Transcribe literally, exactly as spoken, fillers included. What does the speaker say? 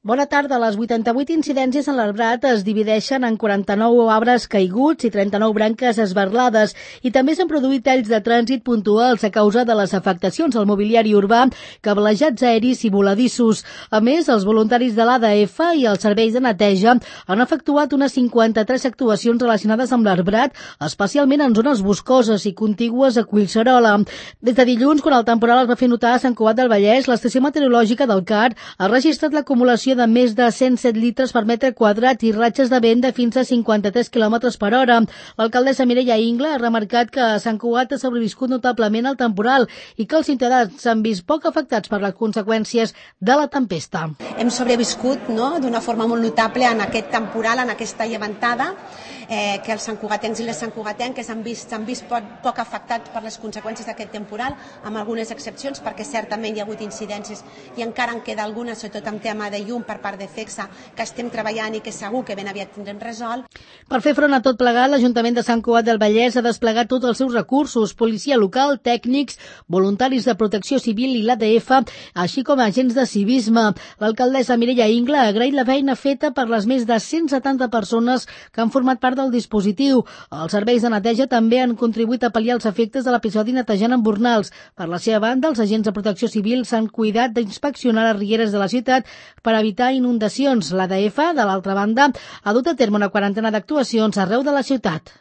Bona tarda. Les vuitanta-vuit incidències en l'arbrat es divideixen en quaranta-nou arbres caiguts i trenta-nou branques esberlades i també s'han produït talls de trànsit puntuals a causa de les afectacions al mobiliari urbà, cablejats aeris i voladissos. A més, els voluntaris de l'A D F i els serveis de neteja han efectuat unes cinquanta-tres actuacions relacionades amb l'arbrat, especialment en zones boscoses i contigües a Collserola. Des de dilluns, quan el temporal es va fer notar a Sant Cugat del Vallès, l'estació meteorològica del C A R ha registrat l'acumulació de més de cent set litres per metre quadrat i ratxes de vent de fins a cinquanta-tres quilòmetres per hora. L'alcaldessa Mireia Ingla ha remarcat que Sant Cugat ha sobreviscut notablement al temporal i que els ciutadans s'han vist poc afectats per les conseqüències de la tempesta. Hem sobreviscut no, d'una forma molt notable en aquest temporal, en aquesta llevantada, eh, que els santcugatencs i les santcugatenques s'han vist, s'han vist poc, poc afectats per les conseqüències d'aquest temporal, amb algunes excepcions, perquè certament hi ha hagut incidències i encara en queda algunes, sobretot en tema de llum per part de FECSA, que estem treballant i que segur que ben aviat tindrem resolt. Per fer front a tot plegat, l'Ajuntament de Sant Cugat del Vallès ha desplegat tots els seus recursos, policia local, tècnics, voluntaris de protecció civil i l'A D F, així com agents de civisme. L'alcaldessa Mireia Ingla ha agraït la feina feta per les més de cent setanta persones que han format part del dispositiu. Els serveis de neteja també han contribuït a pal·liar els efectes de l'episodi netejant embornals. Per la seva banda, els agents de protecció civil s'han cuidat d'inspeccionar les rieres de la ciutat per evitar inundacions. L'A D F, de l'altra banda, ha dut a terme una quarantena d'actuacions arreu de la ciutat.